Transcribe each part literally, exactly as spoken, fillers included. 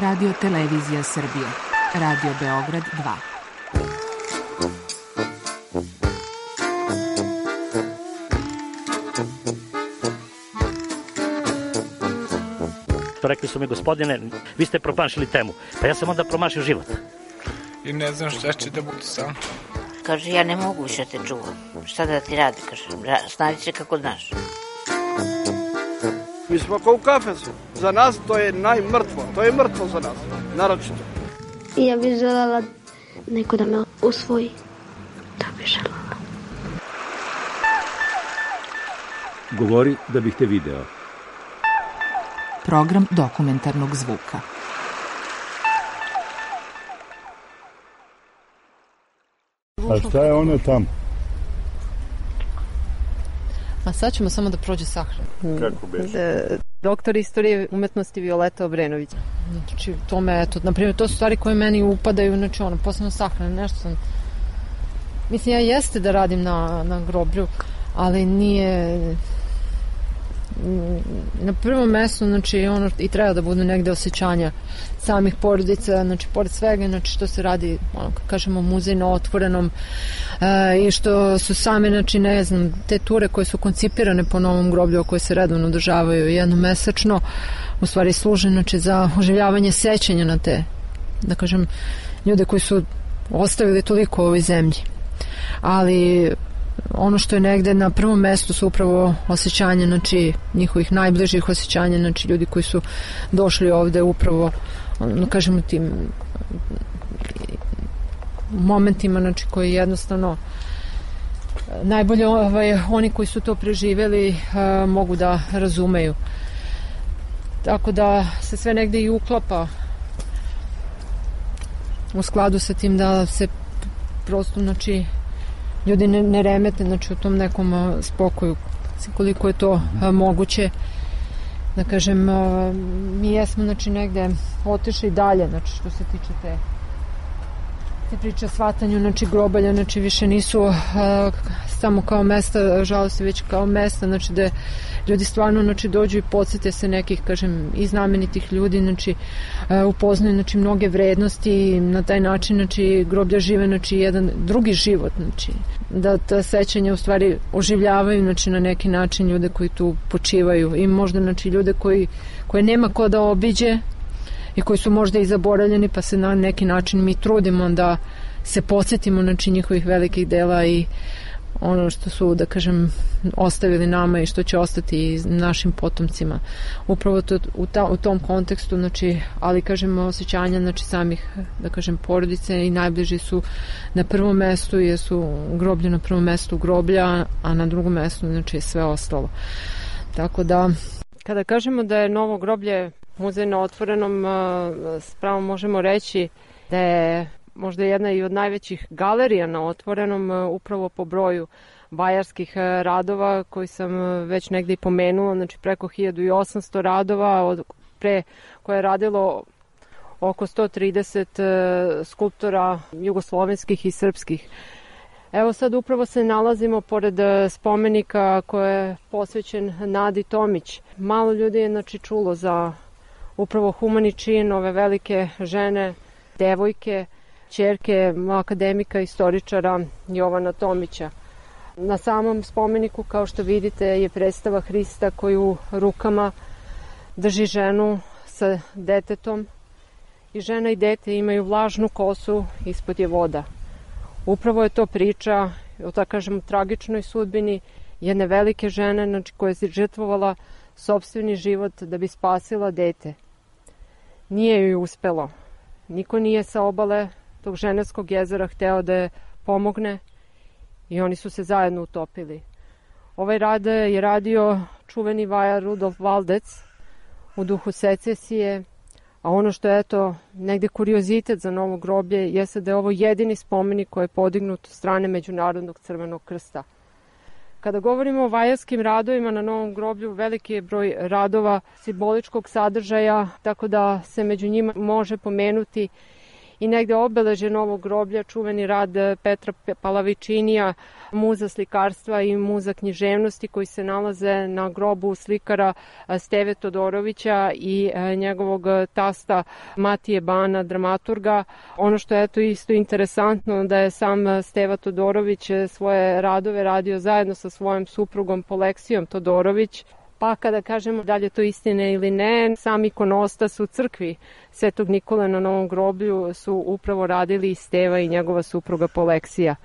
Radio Televizija Srbije. Radio Beograd dva. Rekli su mi, gospodine, vi ste promašili temu. Pa ja sam onda promašio život. I ne znam šta će da bude sam. Kaže, ja ne mogu više te čuvam. Šta da ti radi, kaže, snađi se kako znaš. Mi smo kao u kafesu. Za nas to je najmrtvo. To je mrtvo za nas, naročito. I ja bih želela neko da me usvoji. To bih želela. Govori da bih te video. Program dokumentarnog zvuka. A šta je ono tamo? A sad ćemo samo da prođe sahrana. Kako beše? Doktor istorije umetnosti Violeta Obrenović. Znači, to me, eto, na primjer, to su stvari koje meni upadaju, znači, ono, posebno sahrana, nešto sam... Mislim, ja jeste da radim na, na groblju, ali nije... Na prvom mestu, znači, ono i treba da budu negde osjećanja samih porodica, znači, pored svega, znači, što se radi, ono, kako kažemo, muzej na otvorenom e, i što su same, znači, ne znam, te ture koje su koncipirane po novom groblju, koje se redovno održavaju jednomesečno, u stvari služe, znači, za oživljavanje sećanja na te, da kažem, ljude koji su ostavili toliko u ovoj zemlji. Ali ono što je negde na prvom mestu su upravo osjećanja, znači, njihovih najbližih osjećanja, znači, ljudi koji su došli ovde upravo, ono, kažemo, tim momentima, znači, koji jednostavno najbolje ovaj, oni koji su to preživeli a, mogu da razumeju. Tako da se sve negde i uklapa u skladu sa tim da se prosto, znači, ljudi ne, ne remete, znači, u tom nekom a, spokoju, koliko je to a, moguće. Da kažem, a, mi jesmo, znači, negde otišli dalje, znači, što se tiče te te priče o shvatanju, znači, grobalja, znači, više nisu a, samo kao mesta žalosti, već kao mesta, znači, da ljudi stvarno, znači, dođu i podsjete se nekih, kažem, i znamenitih ljudi, znači, a, upoznaju, znači, mnoge vrednosti i na taj način, znači, groblja žive, znači, jedan drugi život, znači, da ta sećanja u stvari oživljavaju, znači, na neki način ljude koji tu počivaju i možda, znači, ljude koji, koje nema ko da obiđe i koji su možda i zaboravljeni, pa se na neki način mi trudimo da se podsjetimo, znači, njihovih velikih dela i ono što su, da kažem, ostavili nama i što će ostati i našim potomcima. Upravo to, u, ta, u tom kontekstu, znači, ali, kažem, osjećanja, znači, samih, da kažem, porodice i najbliži su na prvom mestu, jer su groblje na prvom mestu groblja, a na drugom mestu, znači, sve ostalo. Tako da, kada kažemo da je novo groblje muzej na otvorenom, spravo možemo reći da je možda jedna i od najvećih galerija na otvorenom, upravo po broju bajarskih radova koji sam već negde i pomenula, znači preko hiljadu osamsto radova, od pre koje je radilo oko sto trideset skulptora jugoslovenskih i srpskih. Evo sad upravo se nalazimo pored spomenika koji je posvećen Nadi Tomić. Malo ljudi je, znači, čulo za upravo humani čin ove velike žene, devojke, ćerke akademika, istoričara Jovana Tomića. Na samom spomeniku, kao što vidite, je predstava Hrista koju u rukama drži ženu sa detetom i žena i dete imaju vlažnu kosu, ispod je voda. Upravo je to priča o, tako kažem, tragičnoj sudbini jedne velike žene, znači, koja je žrtvovala sopstveni život da bi spasila dete. Nije joj uspelo. Niko nije sa obale tog Ženevskog jezera hteo da je pomogne i oni su se zajedno utopili. Ovaj rad je radio čuveni vajar Rudolf Valdec u duhu secesije, a ono što je, eto, negde kuriozitet za novo groblje jeste da je ovo jedini spomenik koji je podignut od strane Međunarodnog crvenog krsta. Kada govorimo o vajarskim radovima na novom groblju, veliki je broj radova simboličkog sadržaja, tako da se među njima može pomenuti i negde obeleže novog groblja čuveni rad Petra Palavičinija, muza slikarstva i muza književnosti koji se nalaze na grobu slikara Steve Todorovića i njegovog tasta Matije Bana, dramaturga. Ono što je to isto interesantno da je sam Steva Todorović svoje radove radio zajedno sa svojom suprugom Poleksijom Todorović. Pa kada kažemo da li je to istine ili ne, sam ikonostas u crkvi Svetog Nikole na Novom groblju su upravo radili i Steva i njegova supruga Poleksija.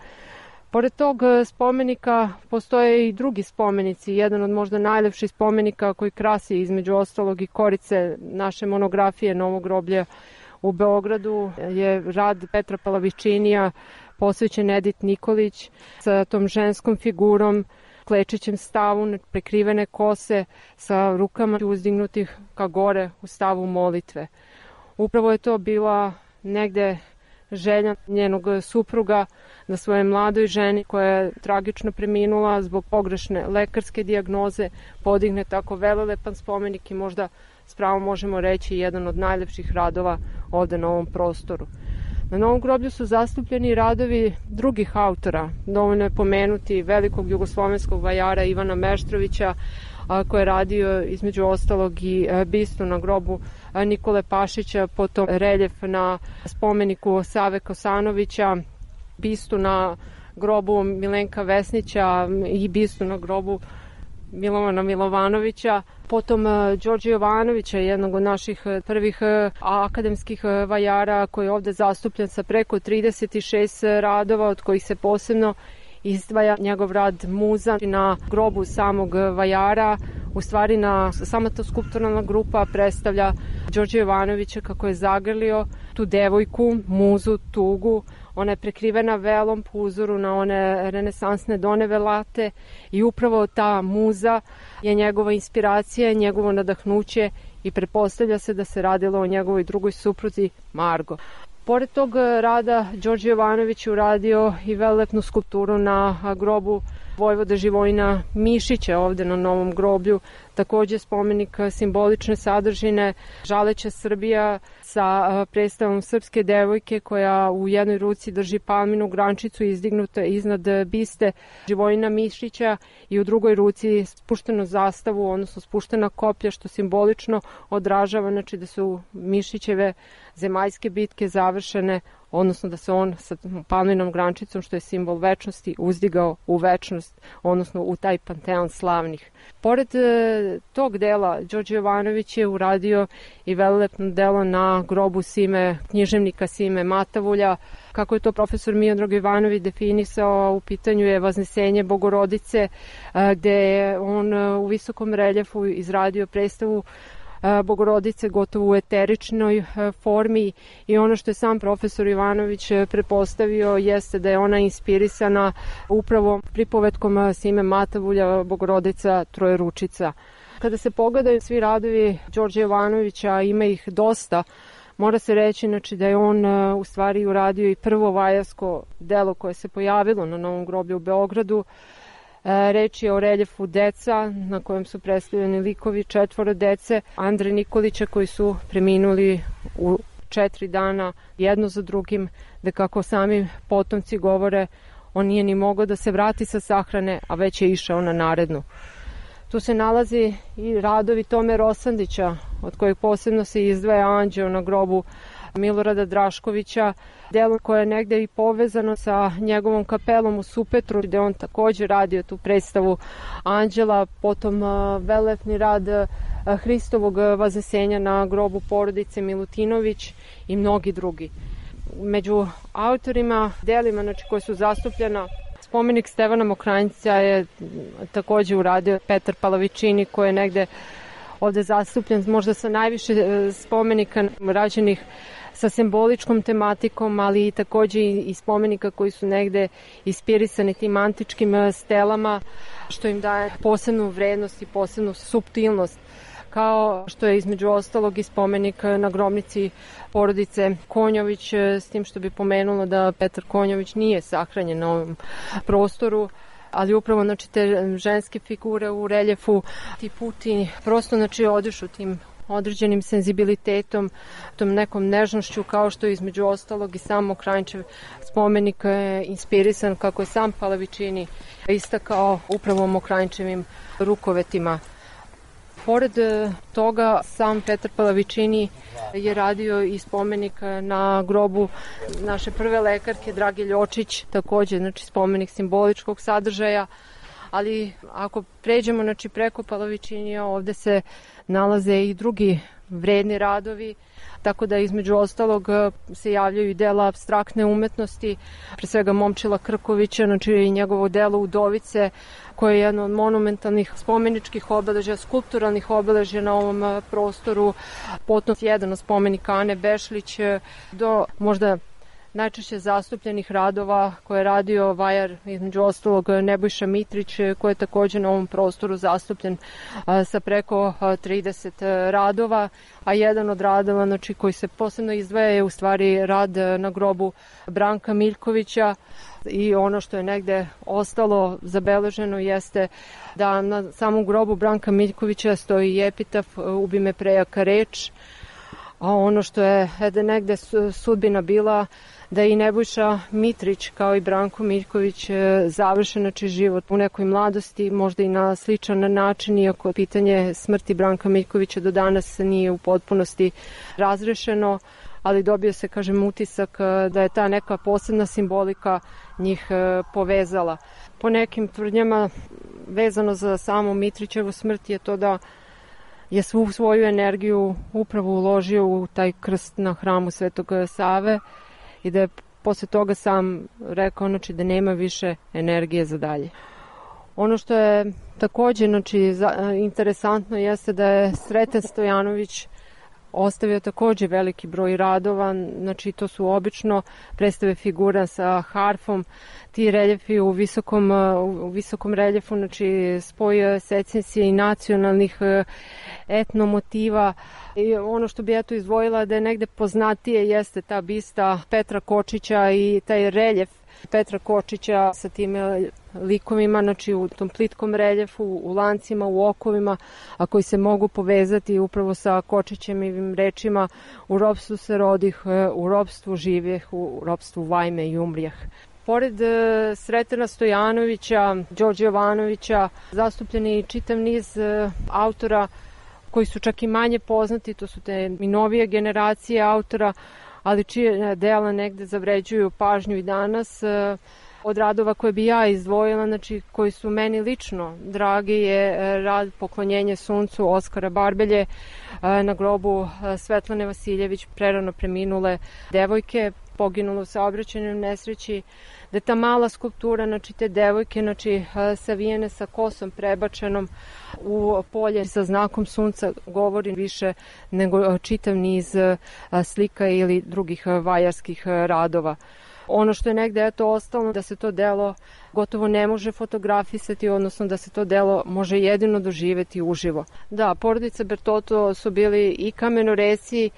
Pored tog spomenika postoje i drugi spomenici. Jedan od možda najlepših spomenika koji krasi između ostalog i korice naše monografije Novog groblja u Beogradu je rad Petra Palavičinija posvećen Edith Nikolić sa tom ženskom figurom, klečećem stavu, prekrivene kose sa rukama uzdignutih ka gore u stavu molitve. Upravo je to bila negde želja njenog supruga da svoje mladoj ženi koja je tragično preminula zbog pogrešne lekarske dijagnoze podigne tako velelepan spomenik i možda s pravom možemo reći jedan od najlepših radova ovde na ovom prostoru. Na Novom groblju su zastupljeni radovi drugih autora. Dovoljno je pomenuti velikog jugoslovenskog vajara Ivana Meštrovića, koji je radio između ostalog i bistu na grobu Nikole Pašića, potom reljef na spomeniku Save Kosanovića, bistu na grobu Milenka Vesnića i bistu na grobu Milovana Milovanovića, potom Đorđe Jovanovića, jednog od naših prvih akademskih vajara koji je ovde zastupljen sa preko trideset šest radova, od kojih se posebno izdvaja njegov rad muza na grobu samog vajara. U stvari na sama ta skulpturalna grupa predstavlja Đorđe Jovanovića kako je zagrlio tu devojku, muzu, tugu. Ona je prekrivena velom po uzoru na one renesansne doneve late i upravo ta muza je njegova inspiracija, njegovo nadahnuće i pretpostavlja se da se radilo o njegovoj drugoj supruzi Margo. Pored tog rada Đorđe Jovanović je uradio i velelepnu skulpturu na grobu vojvoda Živojina Mišića ovde na Novom groblju, takođe spomenik simbolične sadržine, žaleća Srbija sa predstavom srpske devojke koja u jednoj ruci drži palminu grančicu izdignuta iznad biste Živojina Mišića i u drugoj ruci spuštenu zastavu, odnosno spuštena koplja, što simbolično odražava, znači da su Mišićeve zemaljske bitke završene, odnosno da se on sa palminom grančicom, što je simbol večnosti, uzdigao u večnost, odnosno u taj panteon slavnih. Pored e, tog dela, Đorđe Jovanović je uradio i velelepno delo na grobu Sime, književnika Sime Matavulja. Kako je to profesor Miodrag Jovanović definisao, u pitanju je Vaznesenje Bogorodice, e, gde je on e, u visokom reljefu izradio predstavu Bogorodice gotovo u eteričnoj formi i ono što je sam profesor Ivanović prepostavio jeste da je ona inspirisana upravo pripovetkom Sime Matavulja Bogorodica Trojeručica. Kada se pogledaju svi radovi Đorđe Jovanovića, ima ih dosta, mora se reći znači, da je on u stvari uradio i prvo vajarsko delo koje se pojavilo na Novom groblju u Beogradu. Reč je o reljefu Deca, na kojem su predstavljeni likovi četvoro dece Andre Nikolića koji su preminuli u četiri dana jedno za drugim, da kako sami potomci govore, on nije ni mogao da se vrati sa sahrane, a već je išao na narednu. Tu se nalazi i radovi Tome Rosandića, od kojeg posebno se izdvaja Anđeo na grobu Milorada Draškovića, delo koje je negde i povezano sa njegovom kapelom u Supetru, gde on takođe radio tu predstavu Anđela, potom velelepni rad Hristovog Vaznesenja na grobu porodice Milutinović i mnogi drugi. Među autorima, delima znači, koje su zastupljena, spomenik Stevana Mokranjca je takođe uradio Petar Palavičini, koji je negde ovde zastupljen možda sa najviše spomenika rađenih sa simboličkom tematikom, ali i takođe i spomenika koji su negde inspirisani tim antičkim stelama, što im daje posebnu vrednost i posebnu suptilnost, kao što je između ostalog i spomenik na grobnici porodice Konjović, s tim što bi pomenulo da Petar Konjović nije sahranjen na ovom prostoru, ali upravo znači, te ženske figure u reljefu, ti puti prosto znači, odišu tim određenim senzibilitetom, tom nekom nežnošću, kao što je između ostalog i sam Mokranjčev spomenik je inspirisan, kako je sam Palavičini istakao, upravo Mokranjčevim rukovetima. Pored toga, sam Petar Palavičini je radio i spomenik na grobu naše prve lekarke Drage Ljočić, takođe znači spomenik simboličkog sadržaja, ali ako pređemo znači, preko Palavičinija, ovde se nalaze i drugi vredni radovi, tako da između ostalog se javljaju i dela apstraktne umetnosti, pre svega Momčila Krkovića, znači i njegovo delo Udovice, koje je jedno od monumentalnih spomeničkih obeležja, skulpturalnih obeležja na ovom prostoru, potom jedan od spomenika Ane Bešlić, do možda najčešće zastupljenih radova koje je radio vajar, između ostalog Nebojša Mitrić, koji je takođe na ovom prostoru zastupljen sa preko trideset radova, a jedan od radova znači, koji se posebno izdvaja je u stvari rad na grobu Branka Miljkovića, i ono što je negde ostalo zabeleženo jeste da na samom grobu Branka Miljkovića stoji epitaf Ubi me prejaka reč, a ono što je negde sudbina bila da i Nebojša Mitrić kao i Branko Miljković završe znači, život u nekoj mladosti, možda i na sličan način, iako pitanje smrti Branka Miljkovića do danas nije u potpunosti razrešeno, ali dobio se, kažem, utisak da je ta neka posebna simbolika njih povezala. Po nekim tvrdnjama vezano za samu Mitrićevu smrt je to da je svu svoju energiju upravo uložio u taj krst na hramu Svetog Save i da je posle toga sam rekao znači, da nema više energije za dalje. Ono što je takođe znači, interesantno jeste da je Sreten Stojanović ostavio takođe veliki broj radova, znači to su obično predstave figura sa harfom, ti reljefi u visokom, u visokom reljefu, znači spoj secesije i nacionalnih etnomotiva. I ono što bi eto izdvojila da je negde poznatije jeste ta bista Petra Kočića i taj reljef Petra Kočića sa tim likovima, znači u tom plitkom reljefu, u lancima, u okovima, a koji se mogu povezati upravo sa Kočićevim rečima: u ropstvu se rodih, u ropstvu živjeh, u ropstvu vajme i umrijeh. Pored Sretena Stojanovića, Đorđe Jovanovića, zastupljen je i čitav niz autora koji su čak i manje poznati, to su te i novije generacije autora, ali čije dela negde zavređuju pažnju i danas. Od radova koje bi ja izdvojila, znači koji su meni lično dragi, je rad Poklonjenje suncu Oskara Barbelje na grobu Svetlane Vasiljević, prerano preminule devojke, poginule u saobraćajnoj nesreći, da ta mala skulptura, znači te devojke, znači savijene sa kosom prebačenom u polje sa znakom sunca, govori više nego čitav niz slika ili drugih vajarskih radova. Ono što je negde eto ostalo, da se to delo gotovo ne može fotografisati, odnosno da se to delo može jedino doživeti uživo. Da, porodica Bertotto su bili i kamenoresi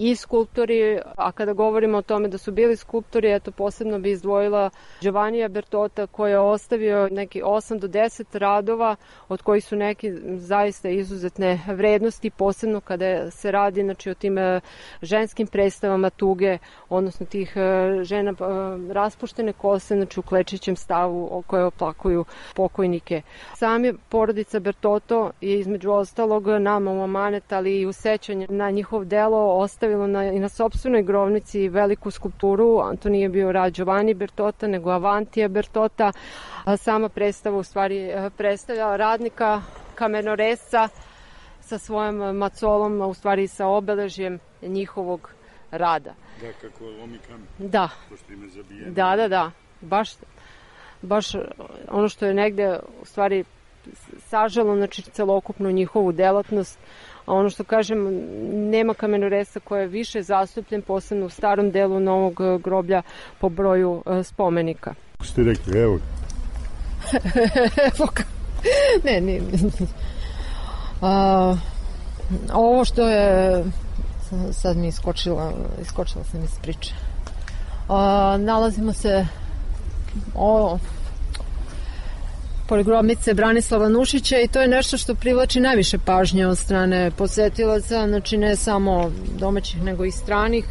i skulptori, a kada govorimo o tome da su bili skulptori, eto posebno bi izdvojila Giovannija Bertotta, koji je ostavio neki osam do deset radova, od kojih su neki zaista izuzetne vrednosti, posebno kada se radi znači, o tim ženskim predstavama tuge, odnosno tih žena raspuštene kose, znači u klečićem stavu koje oplakuju pokojnike. Sami porodica Bertotto je između ostalog nama u amanet, ali i u sećanje na njihov delo ostavio Na, i na sopstvenoj grovnici veliku skulpturu. To nije bio rad Giovanni Bertotta, nego Avantija Bertotta. Sama predstava u stvari predstavlja radnika kamenoresca sa svojom macolom, u stvari sa obeležjem njihovog rada. Da, kako lomi kamen. Da. Pošto ime zabijeno. Da, da, da. Baš, baš ono što je negde u stvari sažalo, znači celokupnu njihovu delatnost. A ono što kažem, nema kamenoresa koja je više zastupljen, posebno u starom delu novog groblja po broju spomenika. Kako ste rekli, evo? ne, ne. A, ovo što je, sad mi iskočila, iskočila sam iz priče. A, nalazimo se, o, pored grobnice Branislava Nušića i to je nešto što privlači najviše pažnje od strane posetilaca, znači ne samo domaćih nego i stranih.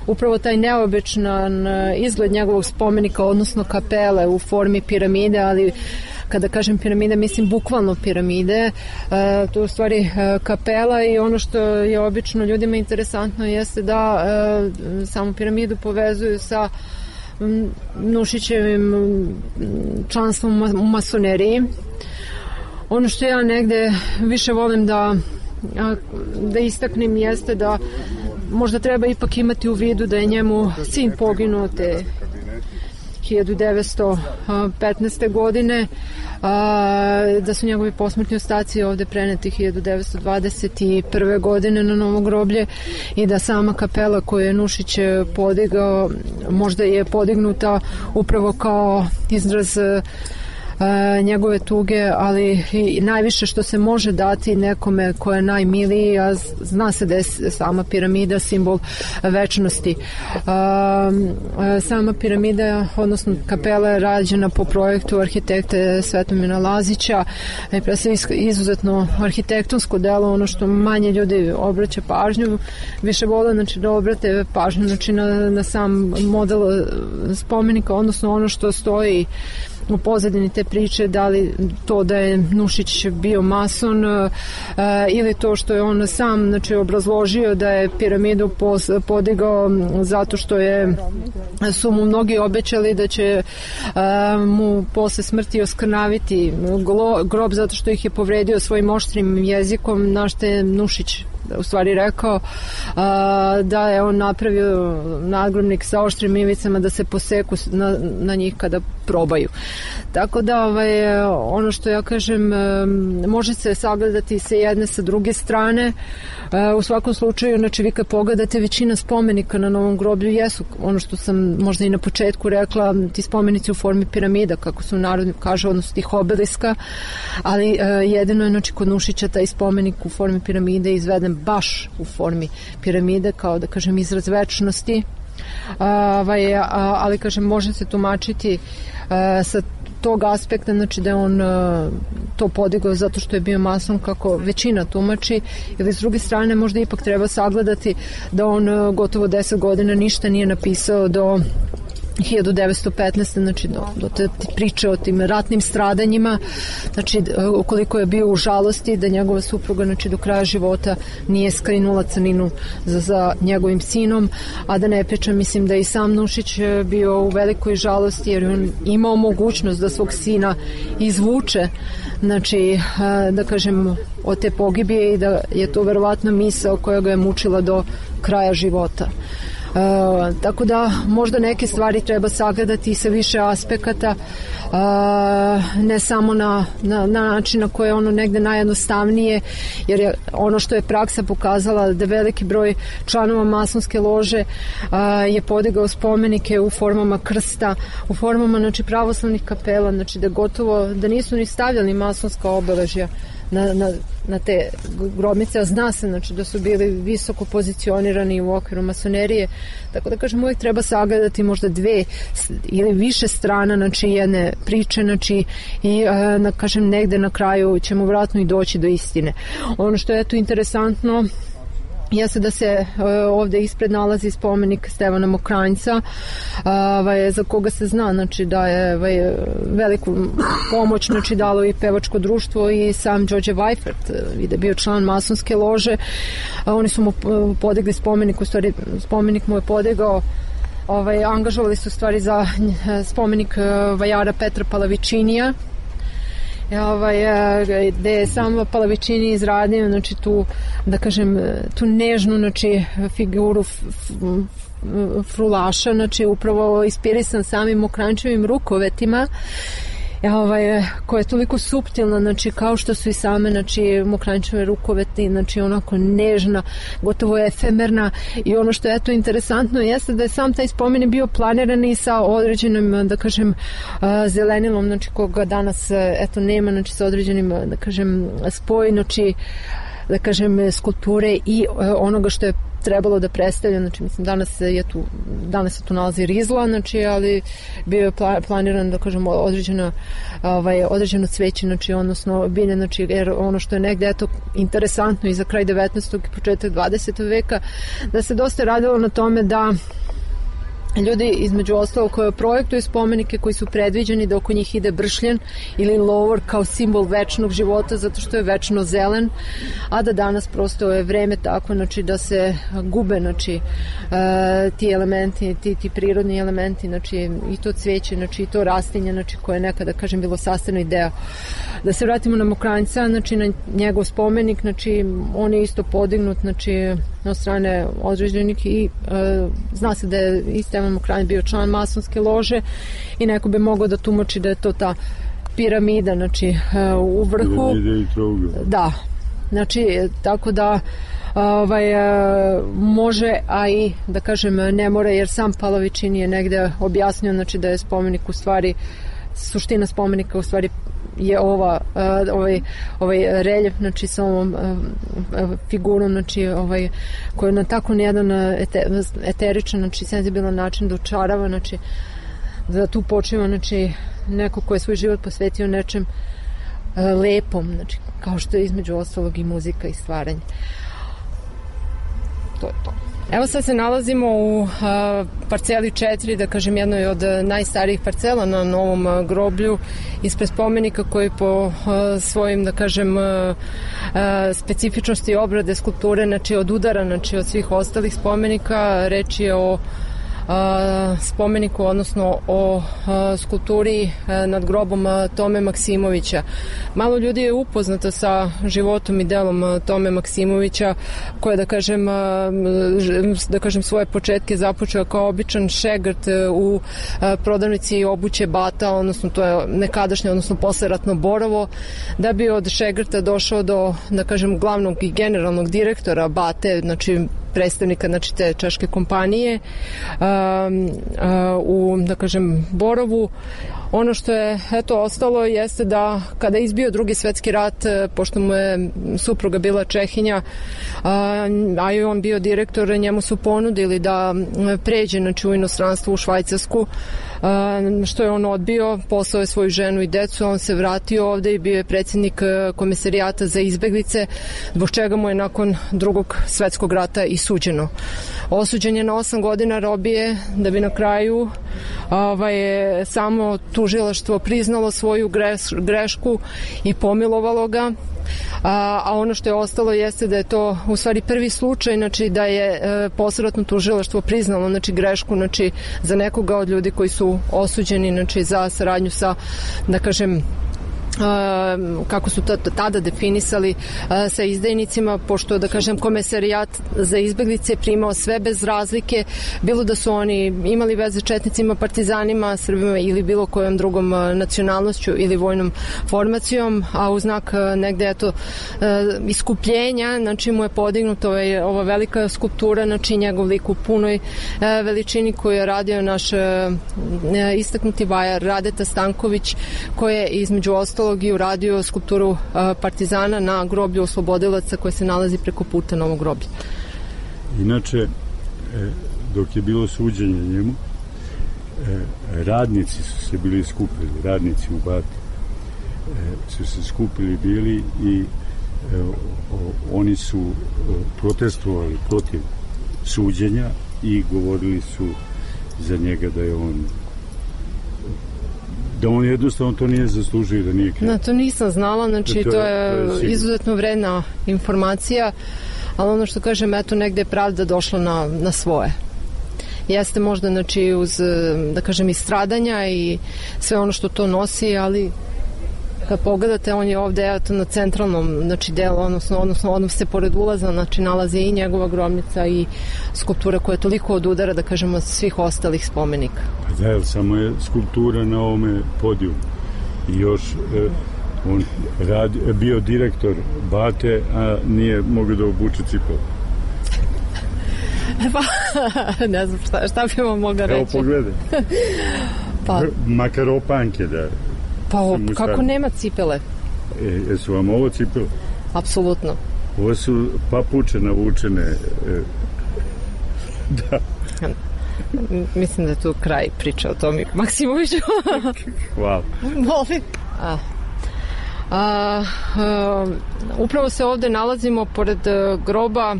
Upravo taj neobičan izgled njegovog spomenika, odnosno kapele u formi piramide, ali kada kažem piramide, mislim bukvalno piramide. To je u stvari kapela i ono što je obično ljudima interesantno jeste da samu piramidu povezuju sa Nušićevim članstvom u masoneriji. Ono što ja negde više volim da da istaknem jeste da možda treba ipak imati u vidu da je njemu sin poginuo te hiljadu devetsto petnaeste. godine, da su njegovi posmrtni ostaci ovde preneti hiljadu devetsto dvadeset prve. godine na novo groblje i da sama kapela koju je Nušić podigao možda je podignuta upravo kao izraz njegove tuge, ali i najviše što se može dati nekome ko je najmiliji, a zna se da je sama piramida simbol večnosti. Sama piramida, odnosno kapela je rađena po projektu arhitekte Svetomira Lazića i pre sve izuzetno arhitektonsko delo, ono što manje ljudi obraća pažnju, više vole znači, da obrate pažnju znači, na, na sam model spomenika, odnosno ono što stoji u pozadini te priče, da li to da je Nušić bio mason e, ili to što je on sam znači, obrazložio da je piramidu pos, podigao zato što je su mu mnogi obećali da će e, mu posle smrti oskrnaviti glo, grob zato što ih je povredio svojim oštrim jezikom, na što je Nušić u stvari rekao a, da je on napravio nadgrobnik sa oštrim ivicama da se poseku na, na njih kada probaju. Tako da ovaj, ono što ja kažem može se sagledati sa jedne sa druge strane. U svakom slučaju, znači vi kad pogledate većina spomenika na novom groblju jesu ono što sam možda i na početku rekla, ti spomenici u formi piramida, kako su narod kaže, odnosno tih obeliska, ali jedino je znači kod Nušića taj spomenik u formi piramide izveden baš u formi piramide, kao da kažem izraz večnosti. Ovaj, ali kažem može se tumačiti sa tog aspekta, znači da je on to podigao zato što je bio mason kako većina tumači, ili s druge strane možda ipak treba sagledati da on gotovo deset godina ništa nije napisao do hiljadu devetsto petnaeste. znači do, do te priče o tim ratnim stradanjima, znači ukoliko je bio u žalosti da njegova supruga znači do kraja života nije skrinula crninu za, za njegovim sinom, a da ne pričam, mislim da i sam Nušić bio u velikoj žalosti jer on imao mogućnost da svog sina izvuče, znači da kažem od te pogibije i da je to verovatno misao koja ga je mučila do kraja života. Uh, tako da možda neke stvari treba sagledati sa više aspekata, uh, ne samo na, na, na način na koje je ono negde najjednostavnije, jer je ono što je praksa pokazala da veliki broj članova masonske lože uh, je podigao spomenike u formama krsta, u formama znači, pravoslavnih kapela, znači da gotovo da nisu ni stavljali masonska obeležja Na, na, na te grobnice, a zna se znači, da su bili visoko pozicionirani u okviru masonerije, tako da kažem uvijek treba sagledati možda dve ili više strana znači jedne priče znači, i na, kažem negde na kraju ćemo vratno i doći do istine. Ono što je tu interesantno jeste da se uh, ovde ispred nalazi spomenik Stevana Mokranjca, uh, za koga se zna znači, da je uh, veliku pomoć znači, dalo i pevačko društvo i sam Đorđe Vajfert, uh, da je bio član masonske lože. Uh, oni su mu uh, podigli spomenik, u stvari spomenik mu je podigao, ovaj, angažovali su u stvari za uh, spomenik uh, vajara Petra Palavičinija, Ovaj, gde je sam Palavičini izradio znači, tu, da kažem, tu nežnu znači, figuru f, f, frulaša, znači upravo inspirisan samim Mokranjčevim rukovetima, ovaj, koja je toliko suptilna, znači kao što su i same znači, Mokranjčeve rukoveti, znači onako nežna, gotovo efemerna, i ono što je to interesantno jeste da je sam taj spomenik bio planiran i sa određenim, da kažem, zelenilom, znači koga danas eto nema, znači sa određenim, da kažem, spoj, znači da kažem, skulpture i onoga što je trebalo da predstavlja, znači mislim danas je tu, danas se tu nalazi rizla, znači ali bio je planiran da kažemo određeno, ovaj, određeno cveće, znači odnosno bilje, znači jer ono što je negde eto interesantno i za kraj devetnaestog i početak dvadesetog veka, da se dosta radilo na tome da ljudi između ostalog koje projektuju spomenike koji su predviđeni da oko njih ide bršljen ili lovor kao simbol večnog života zato što je večno zelen, a da danas prosto je vreme tako znači da se gube znači e, ti elementi, ti, ti prirodni elementi, znači i to cveće, znači i to rastinje, znači koje je nekada kažem bilo sastavni deo. Da se vratimo na Mokranjca, znači na njegov spomenik, znači on je isto podignut znači od strane određenih i e, zna se da je i Stevan Mokranjac bio član masonske lože i neko bi mogao da tumači da je to ta piramida znači e, u vrhu. Da, znači tako da ovaj, e, može, a i da kažem ne mora, jer sam Palavičin je negde objasnio znači da je spomenik u stvari suština spomenika u stvari je ova uh, ovaj ovaj reljef znači sa ovom uh, figurom znači ovaj koji na tako jedan ete, eteričan znači senzibilan način dočarava znači da tu počinje znači neko ko je svoj život posvetio nečem uh, lepom, znači kao što je između ostalog i muzika i stvaranje. To je to. Evo sad se nalazimo u uh, parceli četiri, da kažem jednoj od najstarijih parcela na Novom uh, groblju, ispred spomenika koji po uh, svojim da kažem uh, uh, specifičnosti obrade skulpture znači od udara znači od svih ostalih spomenika. Reč je o spomeniku, odnosno o skulpturi nad grobom Tome Maksimovića. Malo ljudi je upoznato sa životom i delom Tome Maksimovića, koje da kažem da kažem svoje početke započeo kao običan šegrt u prodavnici obuće Bata, odnosno to je nekadašnje, odnosno posleratno Borovo, da bi od šegrta došao do da kažem glavnog i generalnog direktora Bate, znači predstavnika znači te češke kompanije um, uh, u da kažem Borovu. Ono što je eto ostalo jeste da kada je izbio drugi svetski rat, pošto mu je supruga bila Čehinja, a i on bio direktor, njemu su ponudili da pređe znači, u inostranstvo u Švajcarsku, što je on odbio, poslao je svoju ženu i decu, on se vratio ovde i bio je predsjednik Komesarijata za izbeglice, zbog čega mu je nakon drugog svetskog rata i suđeno. Osuđen je na osam godina robije, da bi na kraju ovaj, samo tužilaštvo priznalo svoju greš, grešku i pomilovalo ga. A, a ono što je ostalo jeste da je to u stvari prvi slučaj, znači da je e, posleratno tužilaštvo priznalo znači grešku znači za nekoga od ljudi koji su osuđeni znači za saradnju sa da kažem Uh, kako su tada definisali uh, sa izdajnicima, pošto da kažem Komesarijat za izbeglice primao sve bez razlike, bilo da su oni imali veze četnicima, partizanima, Srbima ili bilo kojom drugom uh, nacionalnošću ili vojnom formacijom, a u znak uh, negde eto uh, iskupljenja, znači mu je podignuto ovaj, ova velika skulptura, znači njegov lik u punoj uh, veličini koju je radio naš uh, istaknuti vajar Radeta Stanković, koji je između ostalo i uradio skulpturu uh, partizana na groblju oslobodilaca koje se nalazi preko puta Novog groblja. Inače, e, dok je bilo suđenje njemu, e, radnici su se bili skupili, radnici u Bati e, su se skupili bili i e, o, oni su o, protestovali protiv suđenja i govorili su za njega da je on da on jednostavno to nije zaslužio, da nije kriv. No, to nisam znala, znači to, to je, to je izuzetno vredna informacija, ali ono što kažem, eto, negde je pravda došla na, na svoje. Jeste možda, znači, uz, da kažem, i stradanja i sve ono što to nosi, ali kad pogledate, on je ovde eto, na centralnom znači, delu, odnosno, odnosno odnos se pored ulaza, znači nalazi i njegova grobnica i skulptura koja je toliko od udara, da kažemo, svih ostalih spomenika. Pa da, samo je skulptura na ovome podiju. I još eh, on radi, bio direktor Bate, a nije mogao da obuče cipelu. Pa, ne znam šta, šta bi vam mogla reći. Evo pogledaj. Pa. Makar opanke da... Pa kako nema cipele? E, jesu vam ovo cipele? Apsolutno. Ovo su papuče navučene. E, Da. Mislim da je tu kraj priče o Tomi Maksimoviću. Hvala. Molim. A, a, a, upravo se ovde nalazimo pored groba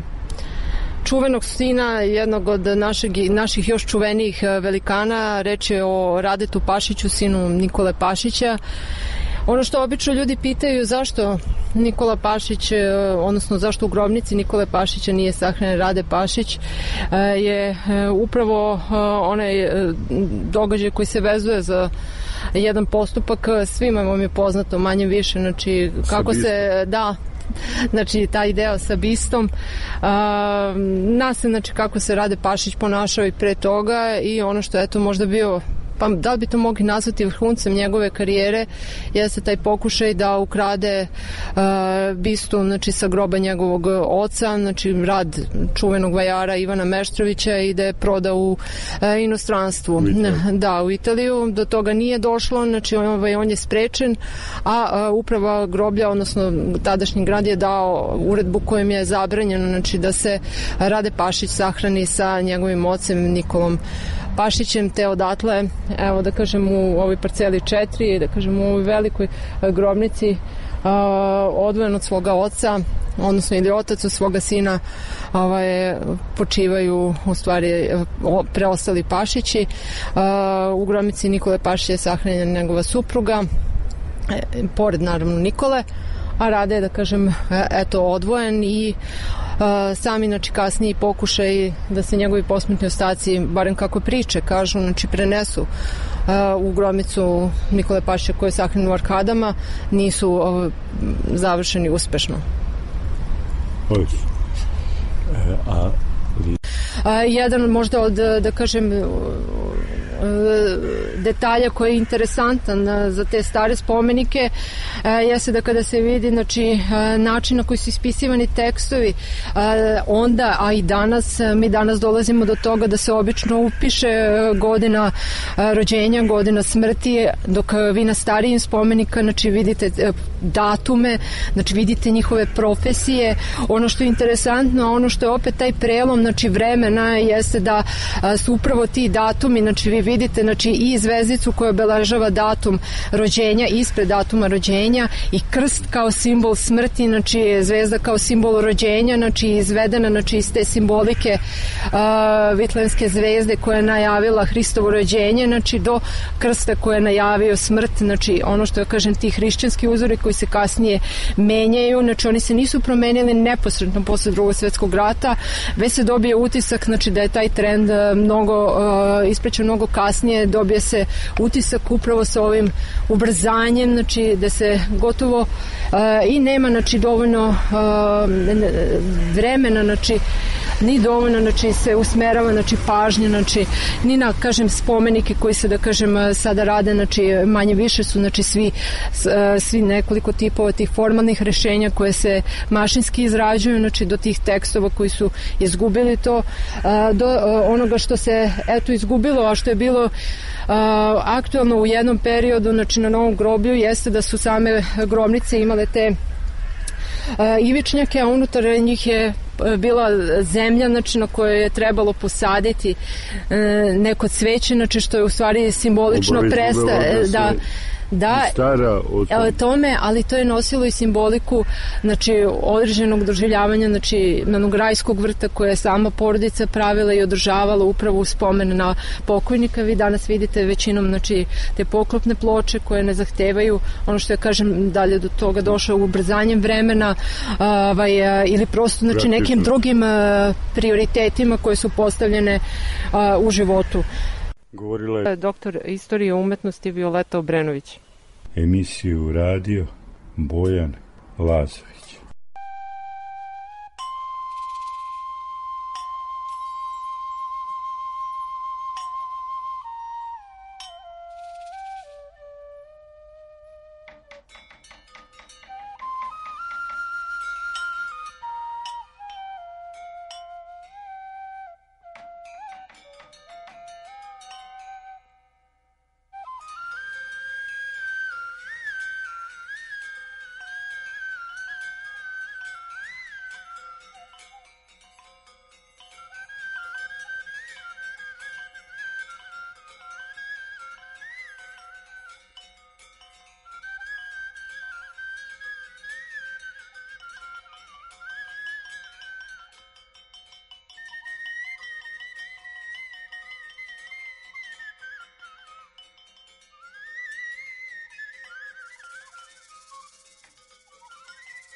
čuvenog sina jednog od našeg, naših još čuvenijih velikana. Reč je o Radetu Pašiću, sinu Nikole Pašića. Ono što obično ljudi pitaju, zašto Nikola Pašić, odnosno zašto u grobnici Nikole Pašića nije sahranjen Rade Pašić, je upravo onaj događaj koji se vezuje za jedan postupak. Svima vam je poznato manje više, znači kako se da znači taj deo sa bistom, nas se, znači kako se Rade Pašić ponašao i pre toga, i ono što je to možda bio, pa da li bi to mogli nazvati vrhuncem njegove karijere, jeste taj pokušaj da ukrade uh, bistu, znači sa groba njegovog oca, znači rad čuvenog vajara Ivana Meštrovića, i da je proda u uh, inostranstvu. U da, u Italiju. Do toga nije došlo, znači ovaj, on je sprečen, a uh, uprava groblja, odnosno tadašnji grad je dao uredbu kojim je zabranjeno, znači da se Rade Pašić sahrani sa njegovim ocem Nikolom Pašićem, te odatle, evo da kažem, u ovoj parceli četiri, da kažem u ovoj velikoj grobnici, odvojen od svoga oca, odnosno ili otac od svoga sina, ovaj, počivaju u stvari preostali Pašići. U grobnici Nikole Pašića je sahranjena njegova supruga, pored naravno Nikole, a Rade je, da kažem, eto, odvojen, i Uh, sami, znači, kasniji pokušaj da se njegovi posmrtni ostaci, barem kako priče kažu, znači, prenesu uh, u grobnicu Nikole Pašića koji je sahranjen u Arkadama, nisu uh, završeni uspešno. Ovi. E, a A, jedan možda od, da kažem, detalja koji je interesantan za te stare spomenike jeste da kada se vidi, znači, način na koji su ispisivani tekstovi onda, a i danas, mi danas dolazimo do toga da se obično upiše godina rođenja, godina smrti, dok vi na starijim spomenika, znači, vidite datume, znači vidite njihove profesije. Ono što je interesantno, ono što je opet taj prelom, znači vremena, jeste da su upravo ti datumi, znači vi vidite, znači, i zvezdicu koja obeležava datum rođenja ispred datuma rođenja, i krst kao simbol smrti, znači zvezda kao simbol rođenja, znači izvedena, znači iz te simbolike uh, vitlenske zvezde koja je najavila Hristovo rođenje, znači do krsta koja je najavio smrt, znači ono što ja kažem, ti hrišćanski uzori koji se kasnije menjaju, znači oni se nisu promenili neposredno posle Drugog svjetskog rata, već se dobije utisak, znači da je taj trend mnogo uh, isprećen mnogo kasnije, dobije se utisak upravo sa ovim ubrzanjem, znači da se gotovo uh, i nema, znači, dovoljno uh, vremena, znači ni dovoljno, znači se usmerava, znači pažnja, znači ni na, kažem, spomenike koji se, da kažem, sada rade, znači manje više su, znači svi svi nekoliko tipova tih formalnih rešenja koje se mašinski izrađuju, znači do tih tekstova koji su izgubili to, do onoga što se eto izgubilo, a što je bilo uh, aktualno u jednom periodu, znači na Novom groblju, jeste da su same grobnice imale te uh, ivičnjake, a unutar njih je bila zemlja, znači na kojoj je trebalo posaditi uh, neko cveće, znači što je u stvari simbolično prestaje da da, stara o tome, ali to je nosilo i simboliku, znači određenog doživljavanja, znači nanog rajskog vrta koje je sama porodica pravila i održavala upravo u spomen na pokojnika. Vi danas vidite većinom, znači, te poklopne ploče koje ne zahtevaju ono što ja kažem, dalje do toga došao ubrzanjem vremena, ovaj, ili prosto, znači, nekim drugim prioritetima koje su postavljene u životu. Govorila je doktor istorije umetnosti Violeta Obrenović. Emisiju radio Bojan Lazović.